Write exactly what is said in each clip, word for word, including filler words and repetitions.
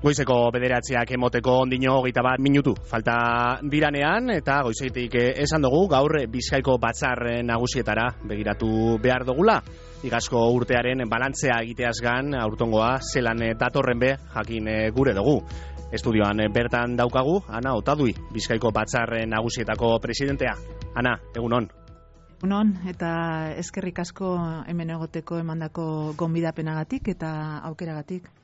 Goizeko bederatziak emoteko ondino hogeita bat minutu falta diranean, eta goizetik esan dugu gaur Bizkaiko batzar nagusietara begiratu behar dugula. Igazko urtearen balantzea egiteaz gan, aurtongoa zelan datorren be jakin gure dugu. Estudioan bertan daukagu, Ana Otadui, Bizkaiko batzar nagusietako presidentea. Ana, egunon. Egunon, eta eskerrik asko hemen egoteko emandako gonbidapenagatik eta aukeragatik.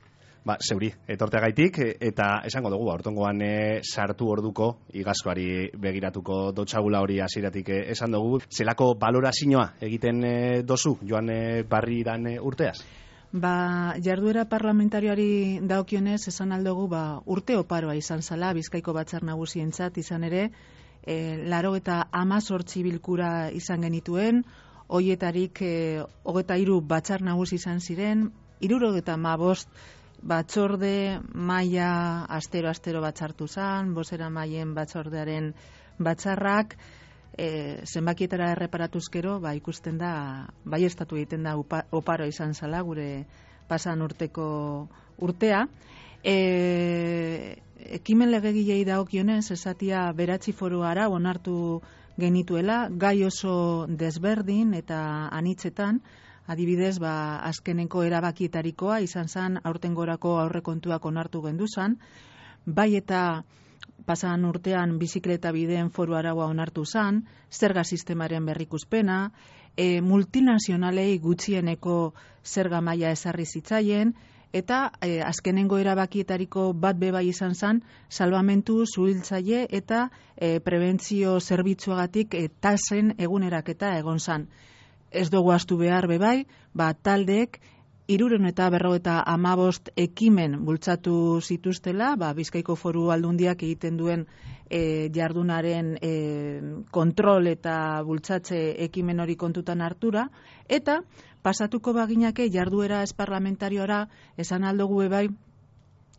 Ba, zeuri, etorteagaitik, eta esango dugu, aurtongoan e, sartu orduko, igazkoari begiratuko dotxagula hori hasieratik e, esan dugu. Zelako balorazioa egiten e, dozu, joan e, barri dan e, urteaz? Ba, jarduera parlamentarioari daokionez, esan aldugu, ba, urte oparoa izan zala, Bizkaiko batzar nagusientzat izan ere, e, laro eta amazortzi bilkura izan genituen, hoietarik e, hogeta hiru batzar nagusi izan ziren, hirurogeta hamabost batzorde maila astero-astero batzartu zan, bosera mailen batzordearen batzarrak, e, zenbakietara erreparatuzkero, ba, ikusten da, bai estatu egiten da upa, oparo izan zala, gure pasan urteko urtea. E, ekimen legegilei dagokionez, esatia beratzi foru ara onartu genituela, gai oso desberdin eta anitzetan, adibidez, ba, azkeneko erabakietarikoa izan zen aurtengorako aurrekontuak onartu gendu zen, bai eta pasan urtean bizikleta bideen foru araua onartu zen, zerga sistemaren berrikuspena, e, multinazionalei gutxieneko zerga maila ezarri zitzaien, eta e, azkenengo erabakietariko bat bebai izan zen, salbamentu, zuhiltzaile eta e, prebentzio zerbitzuagatik e, tasen eguneraketa egon zen. Ez dugu astu behar bebai, ba, taldeek hirurehun eta berrogeita hamabost ekimen bultzatu zituztela, ba, Bizkaiko Foru Aldundiak egiten duen e, jardunaren e, kontrol eta bultzatze ekimen hori kontutan hartura, eta pasatuko baginake jarduera ez parlamentariora esan aldugu bebai,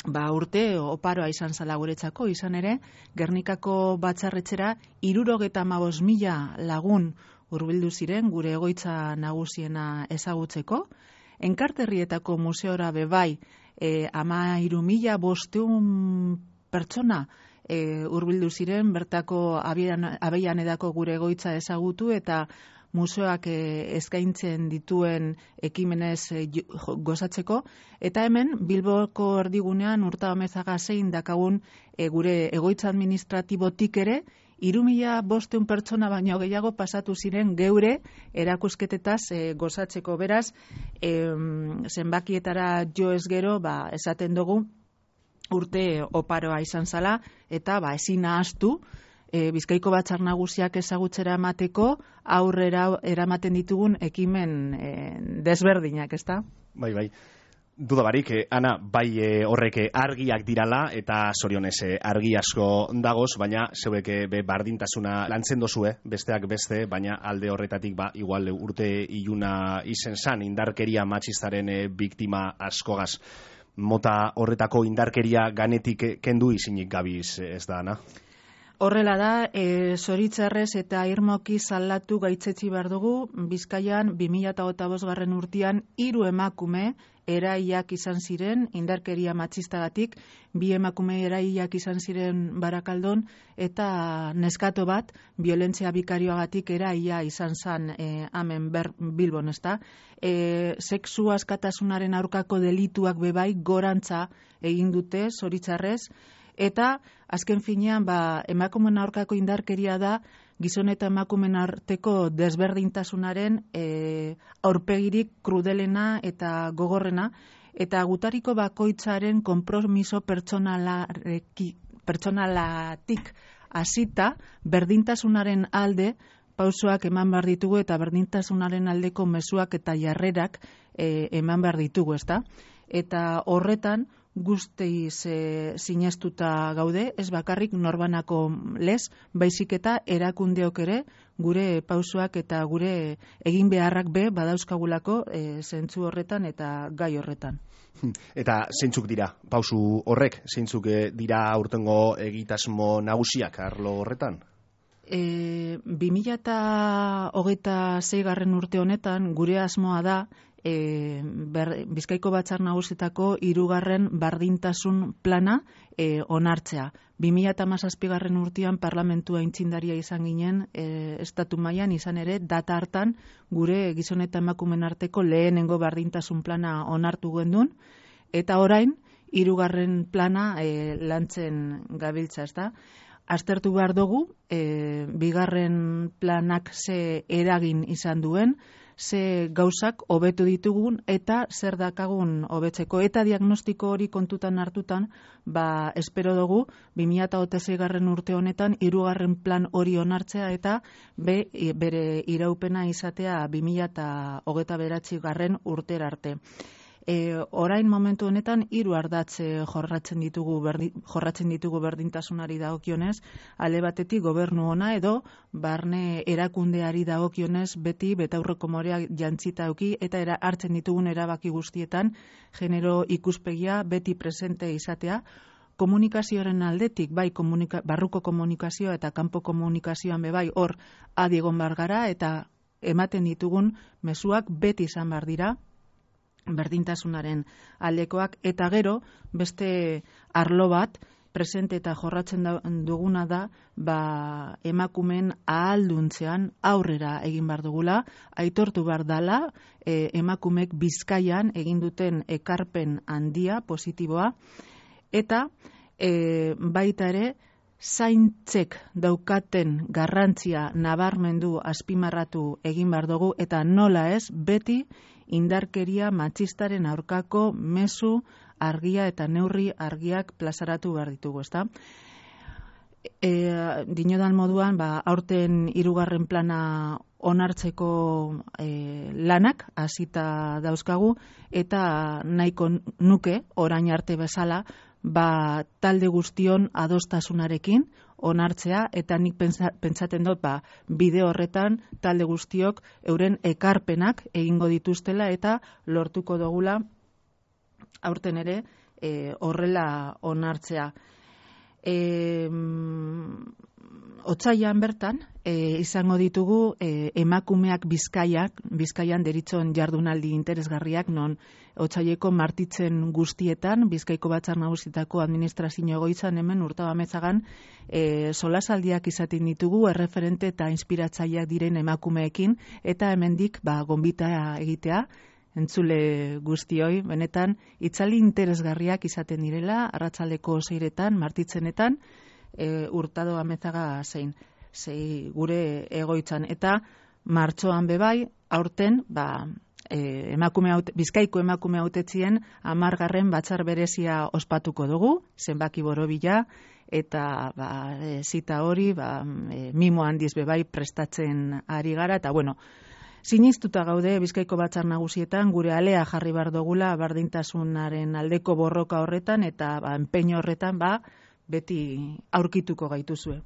ba, urte oparoa izan zala guretzako, izan ere, Gernikako batzarretxera hirurogeta hamabost mila lagun hurbildu ziren gure egoitza nagusiena ezagutzeko. Enkarterrietako museora bebai e, ama hiru mila bosteun pertsona e, hurbildu ziren bertako abeian edako gure egoitza ezagutu eta museoak e, eskaintzen dituen ekimenez e, gozatzeko. Eta hemen Bilboko erdigunean Urtahomezaga zein dakagun e, gure egoitza administratibotik ere hiru mila bosteun pertsona baino gehiago pasatu ziren geure erakusketetaz e, gozatzeko. Beraz, e, zenbakietara jo ez gero, ba, esaten dugu urte oparoa izan zala, eta ba, ezin ahaztu, e, Bizkaiko batzar nagusiak ezagutzera emateko aurrera eramaten ditugun ekimen e, desberdinak, ezta? Bai, bai. Duda barik, eh, Ana, bai eh, horrek argiak dirala eta zorionez eh, argi asko dagoz, baina zeuek eh, be bardintasuna lantzen dozue, besteak beste, baina alde horretatik ba, igual urte iluna izen zan, indarkeria matxistaren eh, biktima askogaz. Mota horretako indarkeria ganetik eh, kendu izinik gabiz, eh, ez da, Ana? Horrela da, e, zoritzarrez eta irmoki zaldatu gaitzetsi behar dugu, Bizkaian bi mila hogeita bost garren urtean hiru emakume eraiak izan ziren, indarkeria matxistagatik, bi emakume eraiak izan ziren Barakaldon, eta neskato bat, violentzia bikarioagatik eraia izan zan e, hemen ber, Bilbon, ezta? E, sexu askatasunaren aurkako delituak bebai gorantza egin dute, zoritzarrez, eta azken finean ba, emakumeen aurkako indarkeria da gizon eta emakumeen arteko desberdintasunaren e, aurpegirik krudelena eta gogorrena, eta gutariko bakoitzaren konpromiso pertsonalatik hasita berdintasunaren alde pausoak eman behar ditugu eta berdintasunaren aldeko mezuak eta jarrerak e, eman behar ditugu, ezta? Eta horretan guztiz e, sinestuta gaude, ez bakarrik norbanako lez, baizik eta erakundeok ere gure pausoak eta gure egin beharrak be badauzkagulako e, zentzu horretan eta gai horretan. Eta zeintzuk dira pausu horrek, zeintzuk dira aurtengo egitasmo nagusiak arlo horretan? E, bi mila hogeita sei garren urte honetan gure asmoa da e, ber, Bizkaiko Batzar Nagusietako hirugarren bardintasun plana e, onartzea. bi mila hamazazpigarren urtean parlamentua aitzindaria izan ginen e, estatu mailan, izan ere data hartan gure gizon eta emakumeen arteko lehenengo bardintasun plana onartu gendun, eta orain hirugarren plana e, lantzen gabiltza, ezta? Aztertu behar dugu, e, bigarren planak ze eragin izan duen, ze gauzak hobetu ditugun eta zer dakagun hobetzeko, eta diagnostiko hori kontutan hartutan, ba espero dugu bi mila hogeita seigarren urte honetan hirugarren plan hori onartzea eta be, bere iraupena izatea bi mila hogeita bederatzigarren urtera arte. E, orain momentu honetan hiru ardatz jorratzen ditugu berdi, jorratzen ditugu berdintasunari dagokionez, alde batetik gobernu ona edo barne erakundeari dagokionez beti betaurreko morea jantzita eduki eta era, hartzen ditugun erabaki guztietan genero ikuspegia beti presente izatea. Komunikazioaren aldetik, bai komunika, barruko komunikazioa eta kanpo komunikazioan be bai hor adi egon behar gara eta ematen ditugun mezuak beti izan behar dira berdintasunaren aldekoak, eta gero beste arlo bat presente eta jorratzen duguna da ba, emakumeen ahalduntzean aurrera egin behar dugula, aitortu behar dala e, emakumeek Bizkaian egin duten ekarpen handia, positiboa, eta e, baita ere zaintzek daukaten garrantzia nabarmendu azpimarratu egin behar dugu, eta nola ez beti indarkeria matxistaren aurkako mezu argia eta neurri argiak plazaratu behar ditugu, ezta? E, dinodan moduan, ba, aurten hirugarren plana onartzeko e, lanak hasita dauzkagu, eta nahiko nuke orain arte bezala, ba, talde guztion adostasunarekin onartzea, eta nik pentsa, pentsaten dut ba, bide horretan talde guztiok euren ekarpenak egingo dituztela eta lortuko dugula aurten ere e, horrela onartzea. E, Otsailean bertan e, izango ditugu e, emakumeak Bizkaiak, Bizkaian deritzon jardunaldi interesgarriak, non otsaileko martitzen guztietan Bizkaiko Batzar Nagusietako administrazio egoitzan hemen Urtabametzagan e, solasaldiak izaten ditugu erreferente eta inspiratzaileak diren emakumeekin, eta hemendik ba gonbita egitea entzule guztioi, benetan itzali interesgarriak izaten direla arratsaldeko seiretan, martitzenetan, E, Hurtado Amezaga zein, zei gure egoitzan, eta martxoan bebai, aurten, ba, e, emakume haute, Bizkaiko emakume hautetzien hamargarren batzar berezia ospatuko dugu, zenbaki borobila, eta ba, e, zita hori, ba, e, mimo handiz bebai prestatzen ari gara, eta bueno, sinistuta gaude Bizkaiko Batzar Nagusietan gure alea jarri behar dugula berdintasunaren aldeko borroka horretan, eta ba, enpeño horretan, ba, beti aurkituko gaituzue.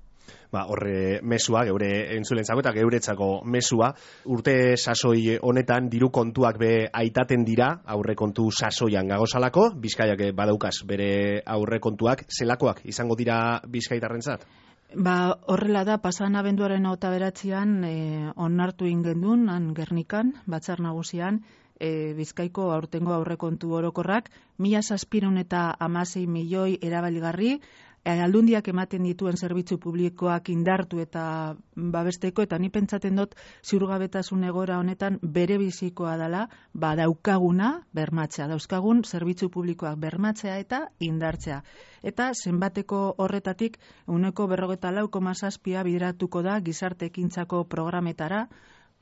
Ba, horre mesua, geure entzulentzako eta geuretzako mesua, urte sasoi honetan diru kontuak be aitaten dira, aurre kontu sasoian gagozalako, Bizkaiak badaukaz bere aurre kontuak, zelakoak izango dira bizkaitarrentzat? Ba, horrela da, pasan abenduaren hogeita bederatzian e, onartu ingendun, han Gernikan, Batzar Nagusian, e, Bizkaiko aurtengo aurrekontu orokorrak, mila zazpiehun eta hamasei milioi erabilgarri, aldundiak ematen dituen zerbitzu publikoak indartu eta babesteko, eta ni pentsaten dut ziurgabetasun egoera honetan bere bizikoa dela, ba daukaguna bermatzea, dauzkagun zerbitzu publikoak bermatzea eta indartzea. Eta zenbateko horretatik ehuneko berrogeita lau koma zazpia bideratuko da gizarte ekintzako programetara,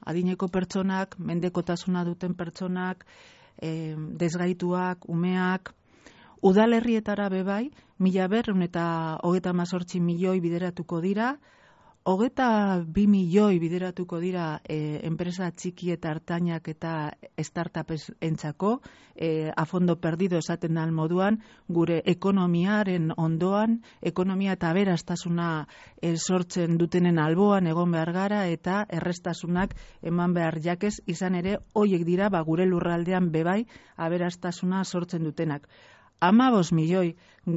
adineko pertsonak, mendekotasuna duten pertsonak, e, desgaituak, umeak, udalerrietara bebai, mila berrehun eta hogeita hemezortzi milioi bideratuko dira, hogeita bi milioi bideratuko dira e, enpresa txiki eta hartainak eta startupes entzako, e, a fondo perdido esaten dan moduan, gure ekonomiaren ondoan, ekonomia eta aberastasuna e, sortzen dutenen alboan egon behar gara, eta errestasunak eman behar jakez, izan ere, hoiek dira ba, gure lurraldean bebai aberastasuna sortzen dutenak. hamabost milioi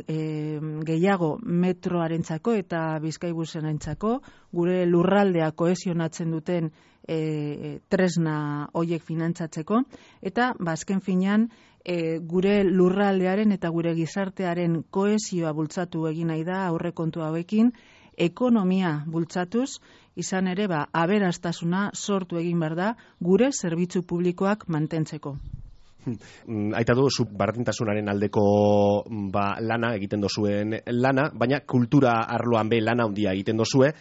e, gehiago metroarentzako eta Bizkaibusenarentzako, gure lurraldea kohesionatzen duten e, tresna hoiek finantzatzeko, eta bazken finean e, gure lurraldearen eta gure gizartearen kohesioa bultzatu egin nahi da aurrekontu hauekin, ekonomia bultzatuz, izan ere ba, aberastasuna sortu egin behar da gure zerbitzu publikoak mantentzeko. Aita du, zu bardintasunaren aldeko ba, lana egiten dozuen lana, baina kultura arloan be lana handia egiten dozue.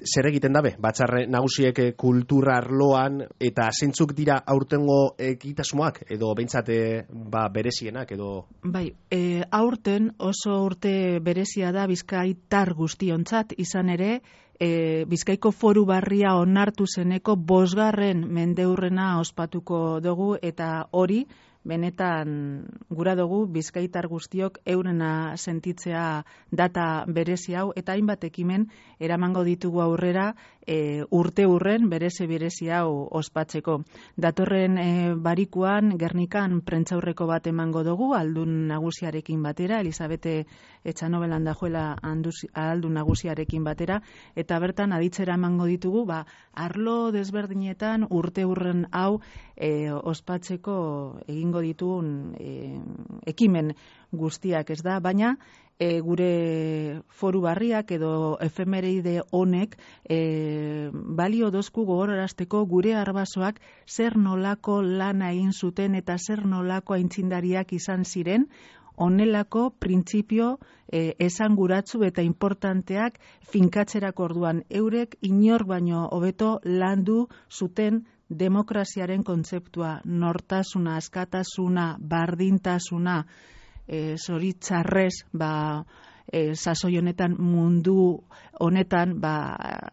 Zer egiten dabe? Batzar nagusiek kultura arloan eta zeintzuk dira aurtengo egitasmoak edo behintzate ba, berezienak edo... Bai, e, aurten oso urte berezia da bizkaitar guztiontzat, izan ere e, Bizkaiko foru barria onartu zeneko bosgarren mendeurrena ospatuko dugu eta hori benetan gura dugu bizkaitar guztiok eurena sentitzea data berezi hau eta hainbat ekimen eramango ditugu aurrera e, urte urren bereze berezi hau ospatzeko. Datorren e, barikuan Gernikan prentzaurreko bat emango dugu aldun nagusiarekin batera, Elizabete Etxanobelan dajoela aldun nagusiarekin batera, eta bertan aditzera emango ditugu ba, arlo desberdinetan urte urren hau e, ospatzeko egin ditugun e, ekimen guztiak, ez da, baina e, gure foru barriak edo efemeride honek e, balio dozku gogorarazteko gure arbasoak zer nolako lana egin zuten eta zer nolako aintzindariak izan ziren, honelako printzipio e, esanguratsu eta importanteak finkatzerako orduan eurek inor baino hobeto landu zuten demokraziaren kontzeptua, nortasuna, askatasuna, bardintasuna, e, zoritzarrez, ba, e, sasoi honetan mundu honetan, ba,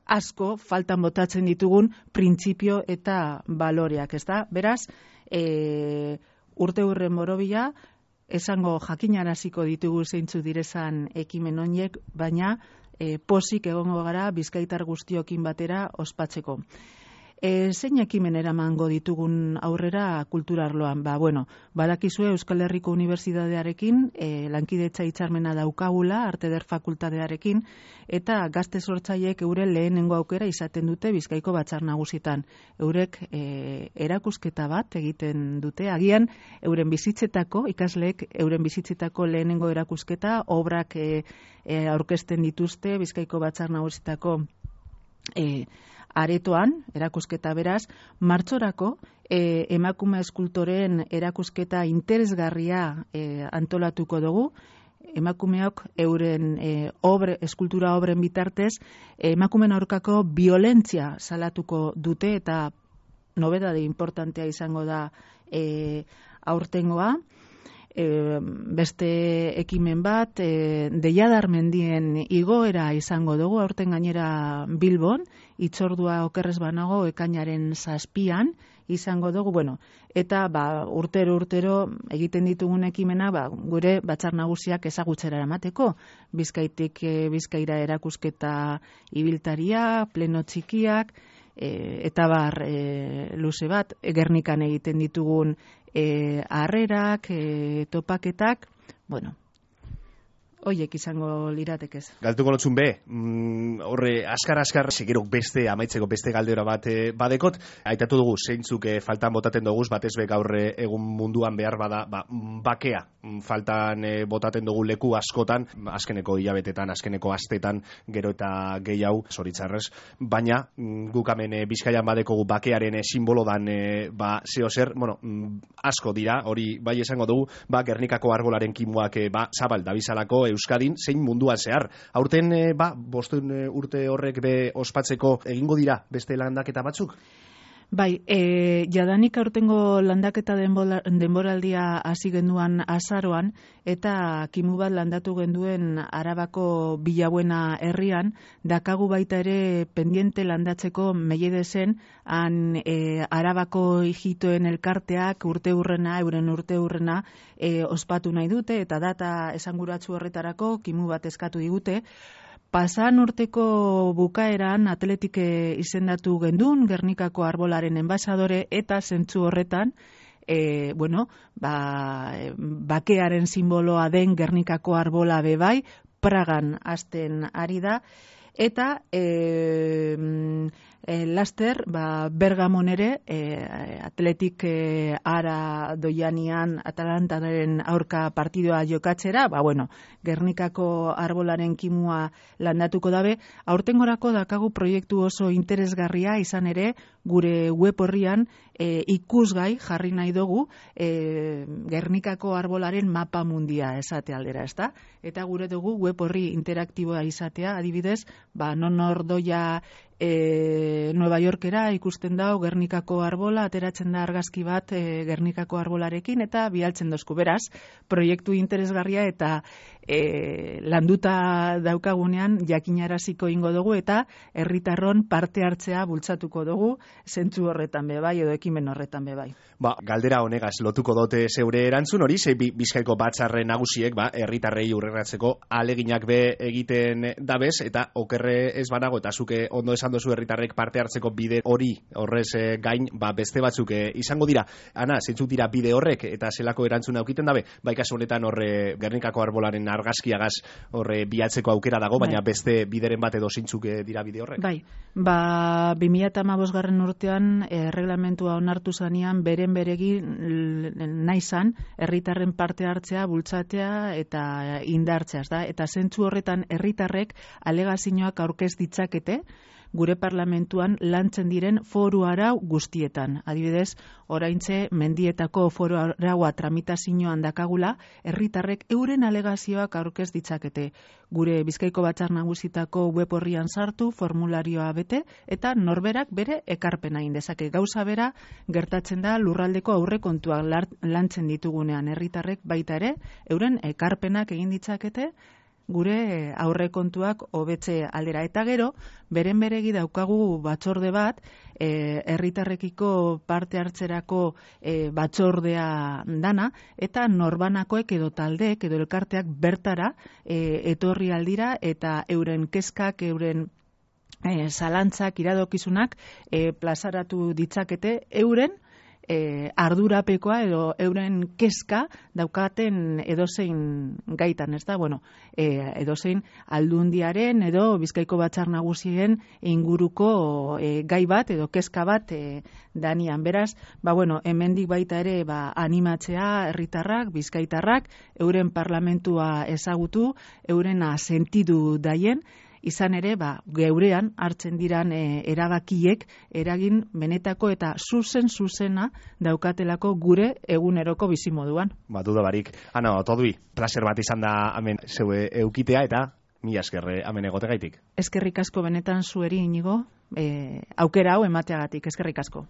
asko faltan botatzen ditugun printzipio eta baloreak, ez da? Beraz, e, urte urren borobila, esango jakinaraziko ditugu zeintzu direzan ekimen honiek, baina e, posik egongo gara bizkaitar guztiokin batera ospatzeko. E, zein ekimen eramango ditugun aurrera kultura arloan? Ba, bueno, badakizue Euskal Herriko Unibertsitatearekin e, lankidetza hitzarmena daukagula, Arte Eder Fakultatearekin, eta gazte sortzaileek euren lehenengo aukera izaten dute Bizkaiko Batzar Nagusietan. Eurek e, erakusketa bat egiten dute, agian euren bizitzetako, ikasleek euren bizitzetako lehenengo erakusketa, obrak e, e, aurkezten dituzte Bizkaiko Batzar Nagusietako e, aretoan, erakusketa beraz, martxorako e, emakume eskultoren erakusketa interesgarria e, antolatuko dugu, emakumeok euren e, obre, eskultura obren bitartez, e, emakumen aurkako violentzia salatuko dute eta nobedade importantea izango da e, aurtengoa. E, beste ekimen bat, e, Deiadar mendien igoera izango dugu, aurten gainera Bilbon, itzordua okerrez banago ekainaren zazpian izango dugu, bueno, eta ba, urtero urtero egiten ditugun ekimena ba, gure batzar nagusiak ezagutzera eramateko, Bizkaitik e, Bizkaira erakusketa ibiltaria, pleno txikiak, e, eta bar e, luze bat, Gernikan egiten ditugun E, harrerak, e, topaketak, bueno, hoiek izango liratekez. Galtuko notzun be, mm, horre askar-askar, segerok beste, amaitzeko beste galdera bat e, badekot, aitatu dugu, zeintzuk e, faltan botaten dugu, batez be gaur egun munduan behar bada, ba, bakea, faltan e, botaten dugu leku askotan, azkeneko hilabetetan, azkeneko astetan, gero eta gehiago, zoritzarrez, baina mm, guk hemen e, Bizkaian badekogu bakearen e, simbolo dan, e, ba, zeo zer, bueno, mm, asko dira, hori bai esango dugu, ba, Gernikako argolaren kimuak, e, ba, zabal, dabizalako, Euskadin, zein munduan zehar. Aurten, e, ba, bostun e, urte horrek be ospatzeko egingo dira beste landaketa batzuk? Bai, e, jadanik aurtengo landaketa denbola, denboraldia hasi genduan azaroan, eta kimu bat landatu genduen Arabako Bilabuena herrian, dakagu baita ere pendiente landatzeko Meiedezen, han e, Arabako hijitoen elkarteak urte hurrena, euren urte hurrena e, ospatu nahi dute, eta data esanguratsu horretarako kimu bat eskatu digute. Pasan urteko bukaeran atletike izendatu gendun, Gernikako arbolaren enbasadore, eta zentzu horretan, e, bueno, ba, bakearen simboloa den Gernikako arbola bebai, Pragan hasten ari da, eta e, e, laster ba, Bergamon ere e, Atletik e, ara doianian Atalantaren aurka partidoa jokatzera, ba bueno, Gernikako arbolaren kimua landatuko dabe. Aurtengorako dakagu proiektu oso interesgarria izan ere gure web horrian e, ikusgai jarri nahi dugu e, Gernikako arbolaren mapa mundia esate aldera, ezta? Eta gure dugu web horri interaktiboa izatea, adibidez, ba non ordoia e, Nueva Yorkera ikusten dau Gernikako arbola, ateratzen da argazki bat e, Gernikako arbolarekin eta bialtzen dozku. Beraz, proiektu interesgarria eta e, landuta daukagunean jakinaraziko ingo dugu eta herritarron parte hartzea bultzatuko dugu zentzu horretan bebai edo ekimen horretan bebai. Ba, galdera honegaz lotuko dote zeure erantzun hori, ze Bizkaiko batzarre nagusiek ba, herritarrei urreratzeko aleginak be egiten dabez eta okerre ez banago eta zuke ondo esan dozu herritarrek parte hartzeko bide hori horrez e, gain ba, beste batzuk e, izango dira. Ana, zeintzuk dira bide horrek eta zelako erantzuna aukiten dabe? Bai, kasu honetan horre Gernikako arbolaren argazkiagaz horre bilatzeko aukera dago, baina bai, beste bideren bat edo zeintzuk dira bide horrek? Bai, ba, bi mila hamabosgarren urtean e, reglamentua onartu zanean beren beregin nahi zan herritarren parte hartzea, bultzatea eta indartzea, da? Eta zentzu horretan herritarrek alegazioak aurkez ditzakete gure parlamentuan lantzen diren foru arau guztietan. Adibidez, oraintze mendietako foru araua tramitazioan dakagula, herritarrek euren alegazioak aurkez ditzakete. Gure Bizkaiko Batzar Nagusitako web horrian sartu, formularioa bete, eta norberak bere ekarpena egin dezake. Gauza bera gertatzen da lurraldeko aurrekontuak lantzen ditugunean herritarrek baita ere, euren ekarpenak egin ditzakete, gure aurrekontuak hobetze aldera. Eta gero, beren beregi daukagu batzorde bat, herritarrekiko parte hartzerako e, batzordea dana, eta norbanakoek edo taldeek edo elkarteak bertara e, etorri aldira eta euren kezkak, euren e, zalantzak, iradokizunak e, plazaratu ditzakete euren E, ardurapekoa edo euren kezka daukaten edozein gaitan, ez da? Bueno, e, edozein aldundiaren edo Bizkaiko Batzar Nagusien inguruko e, gai bat edo kezka bat e, danian. Beraz, ba bueno, hemendik baita ere ba, animatzea herritarrak, bizkaitarrak, euren parlamentua ezagutu, eurena sentidu daien, izan ere, ba, geurean hartzen diran e, erabakiek eragin benetako eta zuzen zuzena daukatelako gure eguneroko bizimoduan. Ba, duda barik. Ana, otodui, placer bat izan da hemen zeue eukitea eta mila eskerre hemen egotegaitik. Eskerrik asko benetan zueri Inigo, e, aukera hau emateagatik, eskerrik asko.